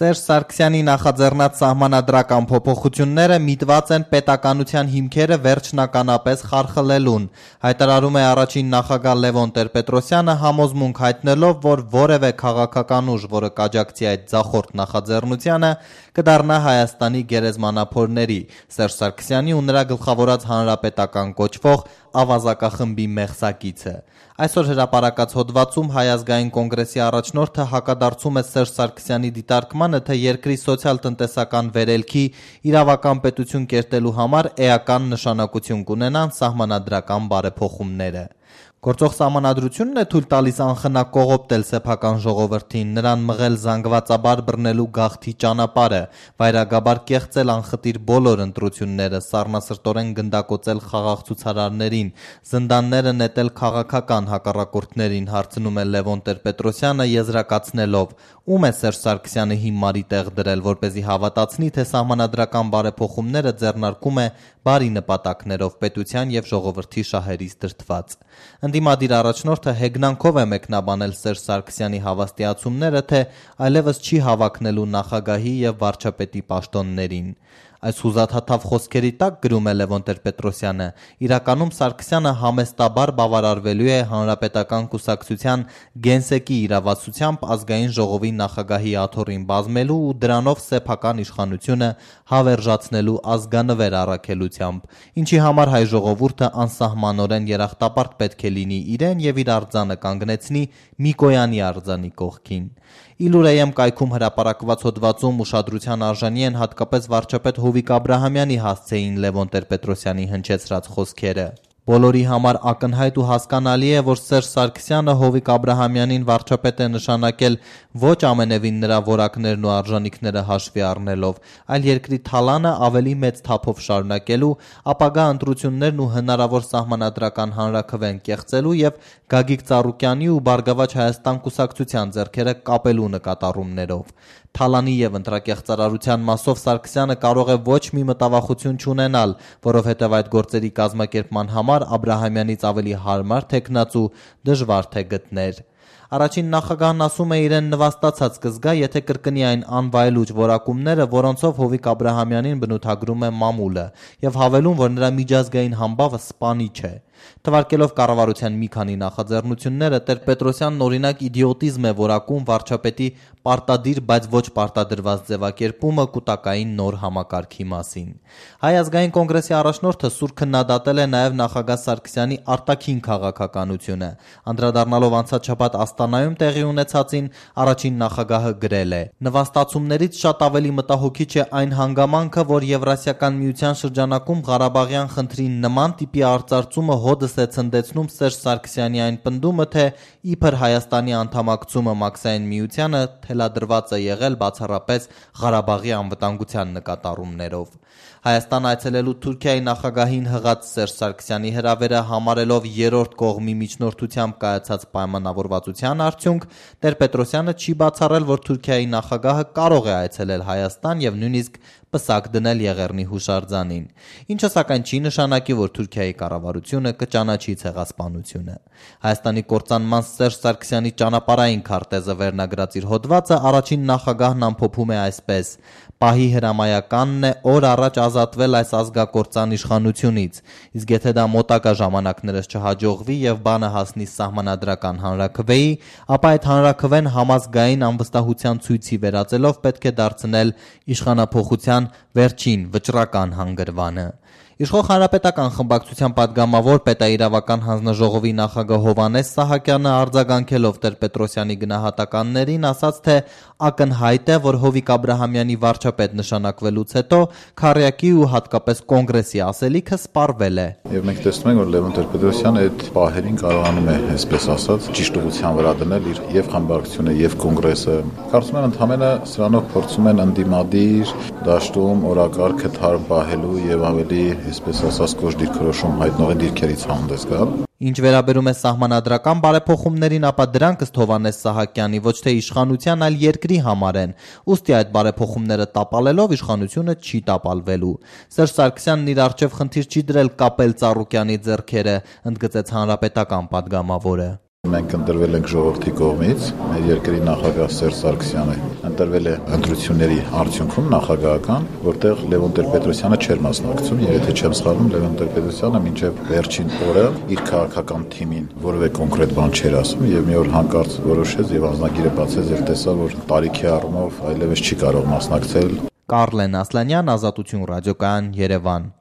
Սերժ Սարգսյանի նախաձեռնած սահմանադրական փոփոխությունները միտված են պետականության հիմքերը վերջնականապես խարխլելուն, հայտարարում է առաջին նախագահ Լևոն Տեր-Պետրոսյանը, համոզմունք հայտնելով, որ որևէ քաղաքական ուժ, որը կաջակցի այդ ձախորդ նախաձեռնությանը, կդառնա Հայաստանի գերեզմանափորների, Սերժ Սարգսյանի ու նրա գլխավորած հանրապետական կոչվող ավազակախմբի մեղսակիցը։ Այսօր հրապարակած հոդվածում Հայ ազգային կոնգրեսի առաջնորդը հակադարձում է Սերժ Սարգսյանի դիտարկմանը, թե երկրի սոցիալ-տնտեսական վերելքի իրավական պետություն կերտելու համար էական նշանակություն կունենան սահմանադրական բարեփոխումները։ Գործող սահմանադրությունն է թույլ տալիս անխնա կողոպտել սեփական ժողովրդին, նրան մղել զանգվածաբար բռնելու գաղթի ճանապարհը, վայրագաբար կեղծել անխտիր բոլոր ընտրությունները, սառնասրտորեն գնդակոծել խաղաղ ցուցարարներին, զնդանները նետել քաղաքական հակառակորդներին, հարցնում է Լևոն Տեր-Պետրոսյանը եզրակացնելով, ում է Սերժ Սարգսյանը հիմարի տեղ դրել, որպեսզի հավատացնի, թե սահմանադրական բարեփոխումները ձեռնարկում է բարի նպատակներով պետության եւ ժողովրդի շահերից դրդված։ Ընդդիմադիր առաջնորդը հեգնանքով է մեկնաբանել Սերժ Սարգսյանի հավաստիացումները, թե այլևս չի հավակնելու նախագահի եւ վարչապետի պաշտոններին։ Այս հուզաթաթավ խոսքերի տակ, գրում է Լևոն Տեր-Պետրոսյանը, իրականում Սարգսյանը համեստաբար բավարարվելու է Հանրապետական կուսակցության գենսեկի իրավասությամբ ազգային ժողովի նախագահի աթոռին բազմելու ու դրանով սեփական իշխանությունը հավերժացնելու ազգանվեր առաքելությամբ, ինչի համար հայ ժողովուրդը անսահմանորեն երախտապարտ պետք է լինի իրեն եւ իր արձանը կանգնեցնի Միկոյանի արձանի կողքին։ Իլուրեյեմ կայքում հրապարակված հոդվածում ուշադրության արժանի են հատկապես վարչապետ Հովիկ Աբրահամյանի հասցեին Լևոն Տեր-Պետրոսյանի հնչեցրած խոսքերը։ Բոլորի համար ակնհայտ ու հասկանալի է, որ Սերժ Սարգսյանը Հովիկ Աբրահամյանին վարչապետ է նշանակել ոչ ամենևին նրա որակներն ու արժանինքները հաշվի առնելով, այլ երկրի թալանը ավելի մեծ թափով շարունակելու, ապագա ընտրություններն ու հնարավոր սահմանադրական հանրաքվեն կեղծելու եւ Գագիկ Ծառուկյանի ու Բարգավաճ Հայաստան կուսակցության ձեռքերը կապելու նկատառումներով։ Թալանի եւ ընտրակեղծարարության մասով Սարգսյանը կարող է ոչ մի մտավախություն չունենալ, որովհետեւ այդ գործերի կազմակերպման համար Աբրահամյանից ավելի հարմար թեկնածու դժվար թե գտներ։ Առաջին նախագահն ասում է իրեն նվաստացած կզգա, եթե կրկնի այն անվայելուչ որակումները, որոնցով Հովիկ Աբրահամյանին բնութագրում է մամուլը, եւ հավելում, որ նրա միջազգային համբավը սպանիչ է։ Թվարկելով կառավարության մի քանի նախաձեռնությունները, Տեր-Պետրոսյանն օրինակ իդիոտիզմ է որակում վարչապետի պարտադիր, բայց ոչ պարտադրված ձևակերպումը կուտակային նոր համակարգի մասին։ Հայ ազգային կոնգրեսի առաջնորդը սուր քննադատել է նաև նախագահ Սարգսյանի արտաքին քաղաքականությունը։ Անդրադառնալով անցած շաբաթ Աստանայում տեղի ունեցածին, առաջին նախագահը գրել է. «Նվաստացումներից շատ ավելի մտահոգիչ է այն հանգամանքը, որ Եվրասիական միության շրջանակում Ղարաբաղյան խնդրի նման տիպի արծարծումը հոդս է ցնդեցնում Սերժ Սարգսյանի այն պնդումը, թե իբր Հայաստանի անդամակցումը Մաքսային միությանը թելադրված է եղել բացառապես Ղարաբաղի անվտանգության նկատառումներով»։ Հայաստան այցելելու Թուրքիայի նախագահին հղած Սերժ Սարգսյանի հրավերը համարելով երրորդ կողմի միջնորդությամբ կայացած պայմանավորվածության արդյունք, Տեր-Պետրոսյանը չի բացառել, որ Թուրքիայի նախագահը կարող է այցելել Հայաստան եւ նույնիսկ պսակ դնել Եղեռնի հուշարձանին, ինչը սակայն չի նշանակի, որ Թուրքիայի կառավարությունը կճանաչի ցեղասպանությունը։ Հայաստանի կործանման Սերժ Սարգսյանի ճանապարհային քարտեզը վերնագրած իր հոդվածը առաջին նախագահն ամփոփում է այսպես. «Պահի հրամայականն է օր առաջ ազատվել այս ազգակործան իշխանությունից, իսկ եթե դա մոտակա ժամանակներս չհաջողվի եւ բանը հասնի սահմանադրական հանրաքվեի, ապա այդ հանրաքվեն համազգային անվստահության ցույցի վերածելով պետք է դարձնել իշխանափոխության վերջին վճռական հանգրվանը»։ Իշխող Հանրապետական խմբակցության падգամավոր պետաիրավական հանձնաժողովի նախագահ Հովհաննես Սահակյանը արձագանքելով Տեր-Պետրոսյանի գնահատականներին ասաց, թե ակնհայտ է, որ Հովիկ Աբրահամյանի վարչապետ նշանակվելուց հետո Քառյակի ու հատկապես կոնգրեսի ասելիքը սպառվել է։ Եվ մենք տեսնում ենք, որ Լևոն Տեր-Պետրոսյանը այդ պահերին կարողանում է, այսպես ասած, ճիշտ ուղղության վրա դնել իր եւ խմբակցությունը եւ կոնգրեսը։ Կարծում եմ, ընդհանրապես սրանով փորձում են ընդդիմադիր դաշտում օրակարգը թարմ պահելու եւ ավելի, այսպես ասած, կոշտ դիրքորոշում հայտնողի դիրքերից հանդես գալ։ Ինչ վերաբերում է սահմանադրական բարեփոխումներին, ապա դրանք ըստ Հովհաննես Սահակյանի ոչ թե իշխանության, այլ երկրի համար են։ Ուստի այդ բարեփոխումները տապալելով իշխանությունը չի տապալվելու։ Սերժ Սարգսյանն իր առջև խնդիր չի դրել կապել Ծառուկյանի ձեռքերը, ընդգծեց հանրապետական падգամավորը։ Մենք ընտրվել ենք ժողովրդի կողմից, մեր երկրի նախագահ Սերժ Սարգսյանը ընտրվել է ընտրությունների արդյունքում նախագահական, որտեղ Լևոն Տեր-Պետրոսյանը չէր մասնակցում, եւ եթե չեմ սխալվում, Լևոն Տեր-Պետրոսյանը մինչև վերջին օրը իր քաղաքական թիմին որևէ կոնկրետ բան չէր ասում եւ մի օր հանկարծ որոշեց եւ անձնագիրը բացեց եւ տեսավ, որ տարիքի առումով այլևս չի կարող մասնակցել։ Կարլեն Ասլանյան, Ազատություն ռադիոկայան, Երևան։